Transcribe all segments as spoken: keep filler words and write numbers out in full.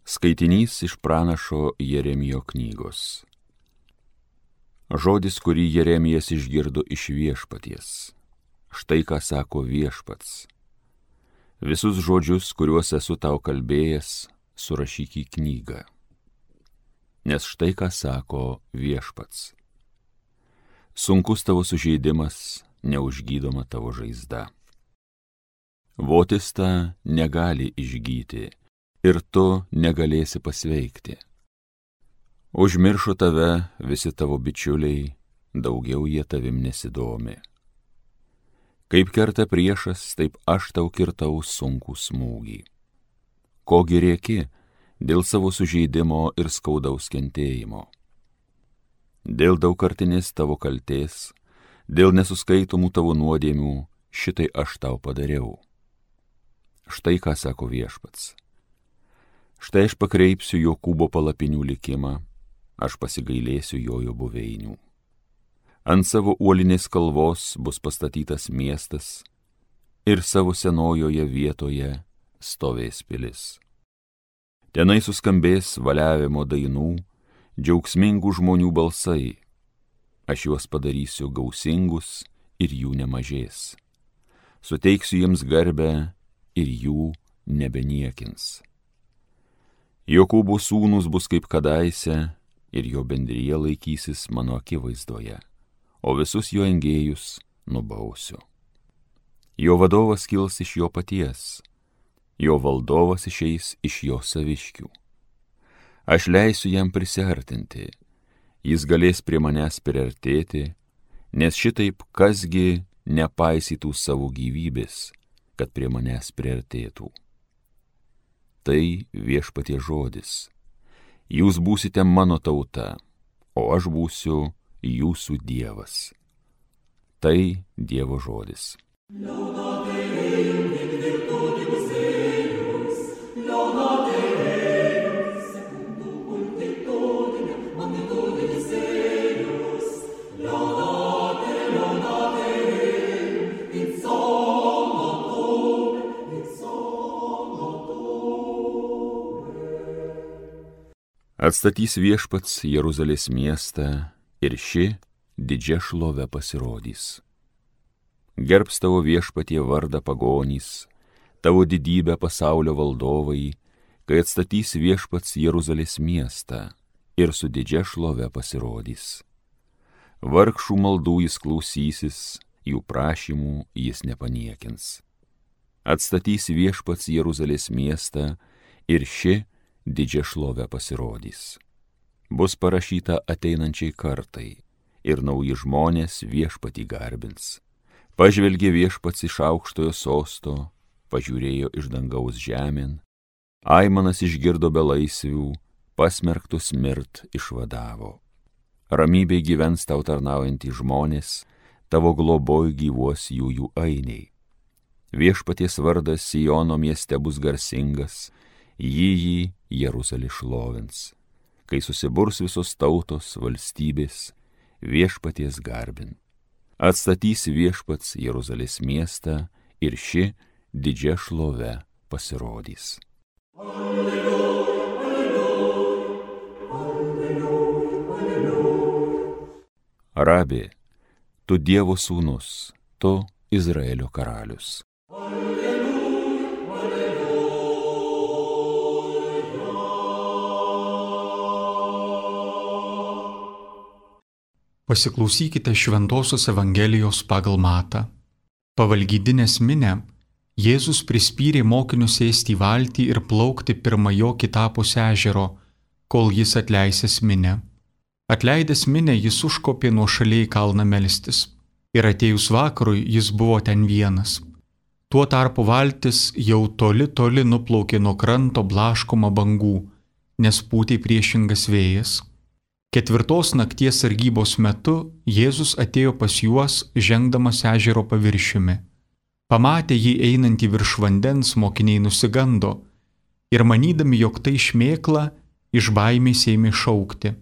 Skaitinys iš pranašo Jeremijo knygos. Žodis, kurį Jeremijas išgirdo iš viešpaties. Štai ką sako viešpats. Visus žodžius, kuriuos esu tau kalbėjęs, surašyk į knygą. Nes štai ką sako viešpats. Sunkus tavo sužeidimas, neužgydoma tavo žaizda. Votis ta negali išgyti, ir tu negalėsi pasveikti. Užmiršo tave visi tavo bičiuliai, daugiau jie tavim nesidomi. Kaip kerta priešas, taip aš tau kirtau sunkų smūgį. Kogi rėki dėl savo sužeidimo ir skaudaus kentėjimo. Dėl daugkartinės tavo kaltės, dėl nesuskaitomų tavo nuodėmių, šitai aš tau padariau. Štai ką sako viešpats. Štai aš pakreipsiu Jokūbo palapinių likimą, aš pasigailėsiu jojo buveinių. Ant savo uolinės kalvos bus pastatytas miestas ir savo senojoje vietoje stovės pilis. Tenai suskambės valiavimo dainų, džiaugsmingų žmonių balsai. Aš juos padarysiu gausingus ir jų nemažės. Suteiksiu jiems garbę ir jų nebeniekins. Jokūbo sūnus bus kaip kadaise ir jo bendrija laikysis mano akivaizdoje, o visus jo engėjus nubausiu. Jo vadovas kils iš jo paties, jo valdovas išeis iš jo saviškių. Aš leisiu jam prisiartinti, jis galės prie manęs priartėti, nes šitaip kasgi nepaisytų savo gyvybės, kad prie manęs priartėtų. Tai viešpaties žodis. Jūs būsite mano tauta, o aš būsiu jūsų Dievas. Tai Dievo žodis. Atstatys viešpats Jeruzalės miestą ir ši didžia šlove pasirodys. Gerbs tavo viešpatie vardą pagonys, tavo didybę pasaulio valdovai, kai atstatys viešpats Jeruzalės miestą ir su didžia šlove pasirodys. Vargšų maldų jis klausysis, jų prašymų jis nepaniekins. Atstatys viešpats Jeruzalės miestą ir ši didžia šlove pasirodys. Bus parašyta ateinančiai kartai ir nauji žmonės viešpatį garbins. Pažvelgė viešpats iš aukštojo sosto, pažiūrėjo iš dangaus žemėn, aimanas išgirdo belaisvių, pasmerktus mirt išvadavo. Ramybėj gyvens tau tarnaujantys žmonės, tavo globoj gyvuos jų jų ainiai. Viešpaties vardas Siono mieste bus garsingas, jį jį Jeruzalė šlovins, kai susiburs visos tautos valstybės viešpaties garbin. Atstatys viešpats Jeruzalės miestą ir ši didžia šlove pasirodys. Alleluja, alleluja, alleluja, alleluja. Rabi, tu Dievo sūnus, tu Izraelio karalius. Pasiklausykite Šventosios Evangelijos pagal Matą. Pavalgydinės minę, Jėzus prispyrė mokinius sėsti į valtį ir plaukti pirma jo kitapus ežero, kol jis atleisęs minę. Atleidęs minę, jis užkopė nuošaliai į kalną melstis. Ir atėjus vakarui, jis buvo ten vienas. Tuo tarpu valtis jau toli toli nuplaukė nuo kranto blaškoma bangų, nes pūtė priešingas vėjas. Ketvirtos nakties sargybos metu Jėzus atėjo pas juos, žengdamas ežero paviršiumi. Pamatę jį einantį virš vandens, mokiniai nusigando ir manydami, jog tai šmėkla, iš baimės ėmė šaukti.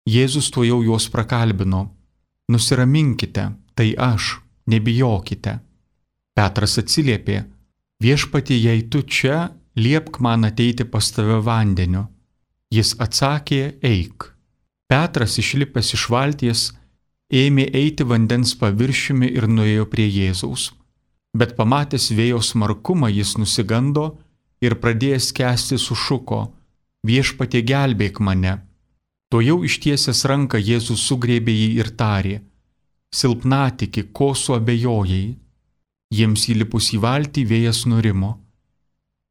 Jėzus tuojau juos prakalbino: Nusiraminkite, tai aš, nebijokite. Petras atsiliepė: Viešpatie, jei tu čia, liepk man ateiti pas tave vandeniu. Jis atsakė, eik. Petras išlipęs iš valties, ėmė eiti vandens paviršiumi ir nuėjo prie Jėzaus. Bet pamatęs vėjo smarkumą jis nusigando ir pradėjęs skęsti sušuko, viešpatie gelbėk mane. Tuojau ištiesęs ranką Jėzus sugrėbė jį ir tarė, silpnatiki, ko suabejojai. Jiems įlipus į valtį vėjas nurimo.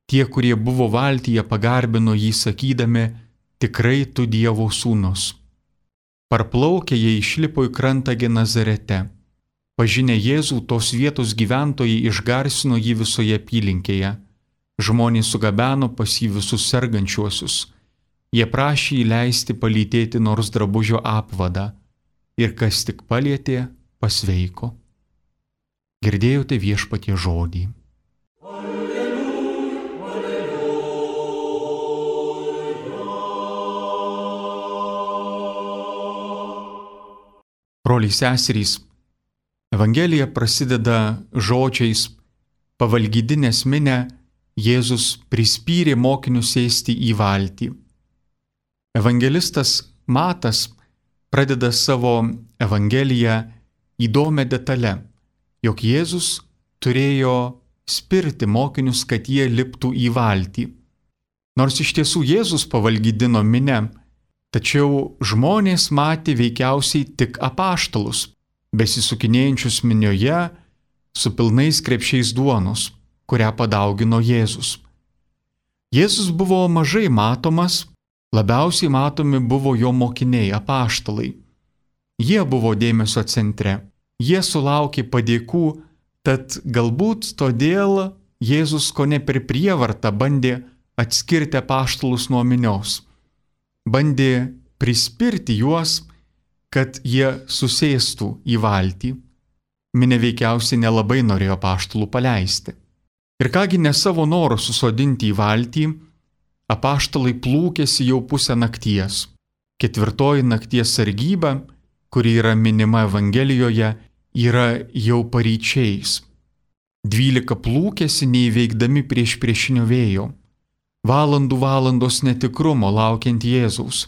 Tie, kurie buvo valtyje, pagarbino jį sakydami, tikrai tu Dievo sūnus. Parplaukę jie išlipo į krantą Genazarete. Pažinę Jėzų, tos vietos gyventojai išgarsino jį visoje apylinkėje. Žmonės sugabeno pas jį visus sergančiuosius. Jie prašė įleisti palytėti nors drabužio apvadą. Ir kas tik palietė, pasveiko. Girdėjote viešpatie žodį. Broliai seserys, Evangelija prasideda žodžiais pavalgydinės minę Jėzus prispyrė mokinius sėsti į valtį. Evangelistas Matas pradeda savo Evangeliją įdomią detalę, jog Jėzus turėjo spirti mokinius, kad jie liptų į valtį. Nors iš tiesų Jėzus pavalgydino minę, tačiau žmonės matė veikiausiai tik apaštalus, besisukinėjančius minioje su pilnais krepšiais duonos, kurią padaugino Jėzus. Jėzus buvo mažai matomas, labiausiai matomi buvo jo mokiniai apaštalai. Jie buvo dėmesio centre, jie sulaukė padėkų, tad galbūt todėl Jėzus kone per prievartą bandė atskirti apaštalus nuo minios. Bandė prispirti juos, kad jie susėstų į valtį. Minė veikiausiai nelabai norėjo apaštalų paleisti. Ir kągi ne savo noro susodinti į valtį, apaštalai plūkėsi jau pusę nakties. Ketvirtoji nakties sargyba, kuri yra minima Evangelijoje, yra jau paryčiais. Dvylika plūkėsi neįveikdami prieš priešinio vėjo. Valandų valandos netikrumo laukiant Jėzaus.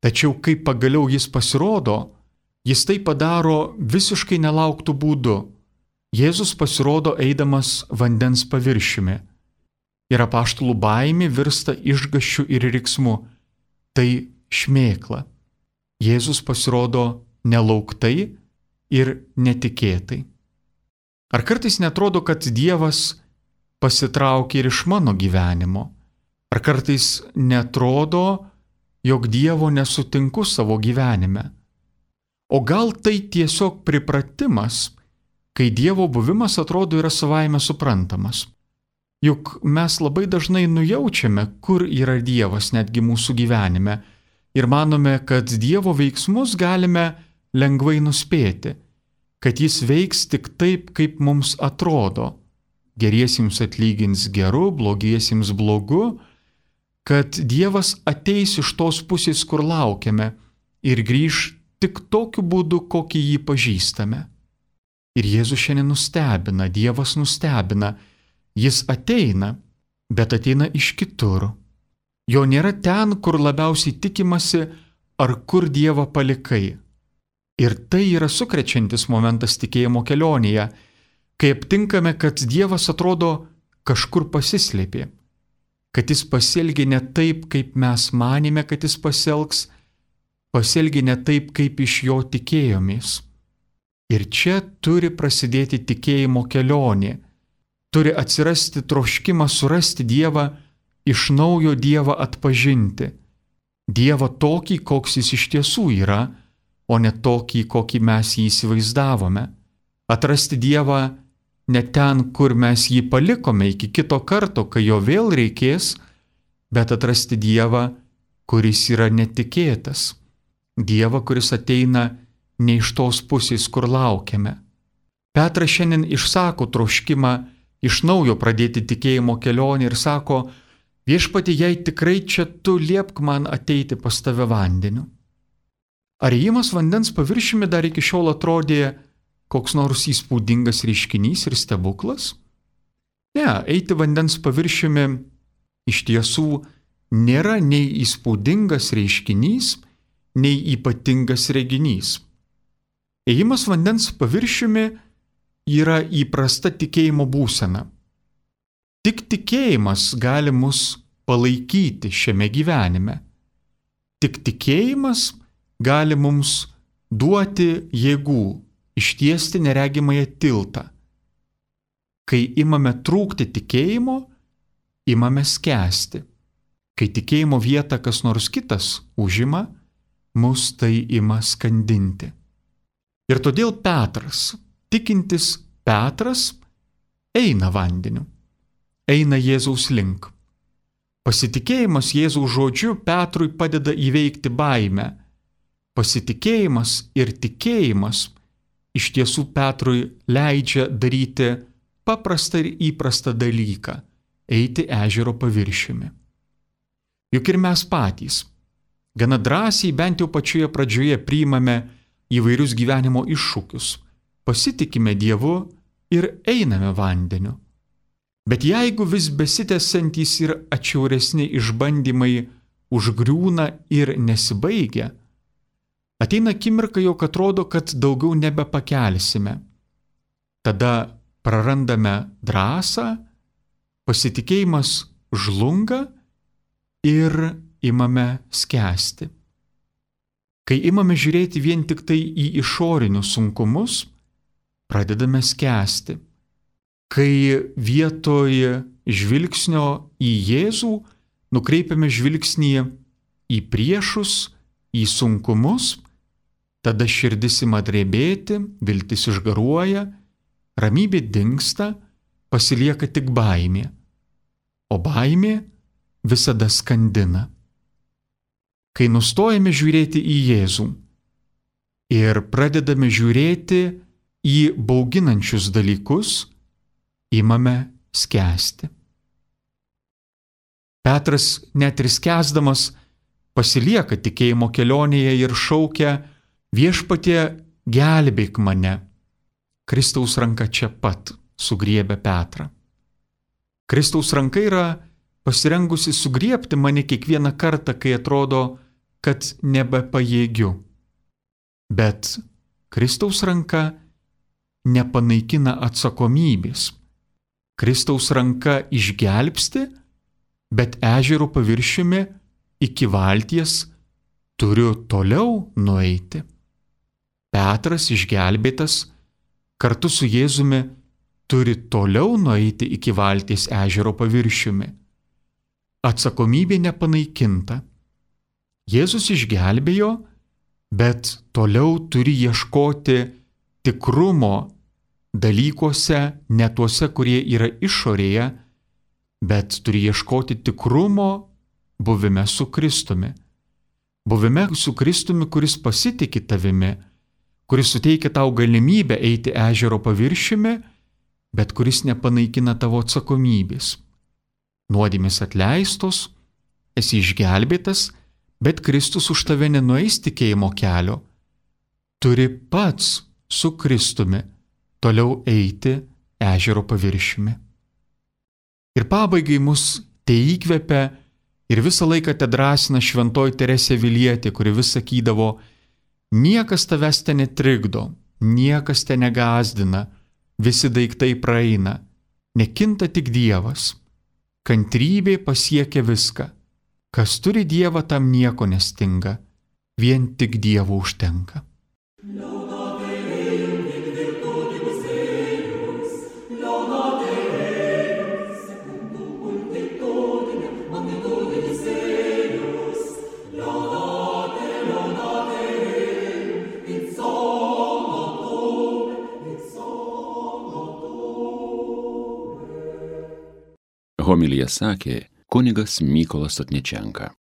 Tačiau kai pagaliau jis pasirodo, jis tai padaro visiškai nelauktų būdu. Jėzus pasirodo eidamas vandens paviršiumi. Ir apaštalų baimė virsta išgąsčiu ir riksmu. Tai šmėkla. Jėzus pasirodo nelauktai ir netikėtai. Ar kartais netrodo, kad Dievas pasitraukia ir iš mano gyvenimo? Ar kartais netrodo, jog Dievo nesutinku savo gyvenime? O gal tai tiesiog pripratimas, kai Dievo buvimas atrodo yra savaime suprantamas? Juk mes labai dažnai nujaučiame, kur yra Dievas netgi mūsų gyvenime ir manome, kad Dievo veiksmus galime lengvai nuspėti, kad jis veiks tik taip, kaip mums atrodo. Geriesiems atlygins geru, blogiesiems blogu, kad Dievas ateis iš tos pusės, kur laukiame, ir grįž tik tokiu būdu, kokį jį pažįstame. Ir Jėzus šiandien nustebina, Dievas nustebina, jis ateina, bet ateina iš kitur. Jo nėra ten, kur labiausiai tikimasi, ar kur Dievą palikai. Ir tai yra sukrečiantis momentas tikėjimo kelionėje, kai aptinkame, kad Dievas atrodo kažkur pasislėpė, kad jis pasielgė ne taip, kaip mes manėme, kad jis pasielgs, pasielgė ne taip, kaip iš jo tikėjomės. Ir čia turi prasidėti tikėjimo kelionė, turi atsirasti troškimas surasti Dievą, iš naujo Dievą atpažinti. Dievą tokį, koks jis iš tiesų yra, o ne tokį, kokį mes jį įsivaizdavome. Atrasti Dievą ne ten, kur mes jį palikome iki kito karto, kai jo vėl reikės, bet atrasti Dievą, kuris yra netikėtas. Dievą, kuris ateina ne iš tos pusės, kur laukiame. Petras šiandien išsako troškimą iš naujo pradėti tikėjimo kelionę ir sako, viešpatie, jei tikrai čia tu liepk man ateiti pas tave vandeniu. Ar ėjimas vandens paviršiumi dar iki šiol atrodė koks nors įspūdingas reiškinys ir stebuklas? Ne, eiti vandens paviršiumi iš tiesų nėra nei įspūdingas reiškinys, nei ypatingas reginys. Ėjimas vandens paviršiumi yra įprasta tikėjimo būsena. Tik tikėjimas gali mus palaikyti šiame gyvenime. Tik tikėjimas gali mums duoti jėgų ištiesti neregimąją tiltą. Kai imame trūkti tikėjimo, imame skęsti. Kai tikėjimo vietą kas nors kitas užima, mus tai ima skandinti. Ir todėl Petras, tikintis Petras, eina vandeniu, eina Jėzaus link. Pasitikėjimas Jėzaus žodžiu Petrui padeda įveikti baimę. Pasitikėjimas ir tikėjimas iš tiesų Petrui leidžia daryti paprastą ir įprastą dalyką – eiti ežero paviršiumi. Juk ir mes patys gana drąsiai bent jau pačioje pradžioje priimame įvairius gyvenimo iššūkius, pasitikime Dievu ir einame vandeniu. Bet jeigu vis besitęsiantys ir atšiauresni išbandymai užgriūna ir nesibaigia, ateina akimirka, jog atrodo, kad daugiau nebepakelsime. Tada prarandame drąsą, pasitikėjimas žlunga ir imame skęsti. Kai imame žiūrėti vien tik tai į išorinius sunkumus, pradedame skęsti. Kai vietoj žvilgsnio į Jėzų nukreipiame žvilgsnį į priešus, į sunkumus, tada širdis ima drebėti, viltis išgaruoja, ramybė dingsta, pasilieka tik baimė, o baimė visada skandina. Kai nustojame žiūrėti į Jėzų ir pradedame žiūrėti į bauginančius dalykus, imame skęsti. Petras net ir skęsdamas pasilieka tikėjimo kelionėje ir šaukia: Viešpatie, gelbėk mane. Kristaus ranka čia pat sugriebia Petrą. Kristaus ranka yra pasirengusi sugriebti mane kiekvieną kartą, kai atrodo, kad nebepajėgiu. Bet Kristaus ranka nepanaikina atsakomybės. Kristaus ranka išgelbsti, bet ežero paviršiumi iki valties turiu toliau nueiti. Petras išgelbėtas kartu su Jėzumi turi toliau nueiti iki valties ežero paviršiumi. Atsakomybė nepanaikinta. Jėzus išgelbėjo, bet toliau turi ieškoti tikrumo dalykuose, ne tuose, kurie yra išorėje, bet turi ieškoti tikrumo buvime su Kristumi. Buvime su Kristumi, kuris pasitiki tavimi, kuris suteikia tau galimybę eiti ežero paviršiumi, bet kuris nepanaikina tavo atsakomybės. Nuodėmės atleistos, esi išgelbėtas, bet Kristus už tave nenueis tikėjimo kelio. Turi pats su Kristumi toliau eiti ežero paviršiumi. Ir pabaigai mus te įkvepia ir visą laiką te drąsina šventoji Teresė Avilietė, kuri vis sakydavo: niekas tavęs te netrikdo, niekas te negąsdina, visi daiktai praeina, nekinta tik Dievas. Kantrybė pasiekia viską. Kas turi Dievą, tam nieko nestinga, vien tik Dievo užtenka. Homiliją sakė kunigas Mykolas Sotničenka.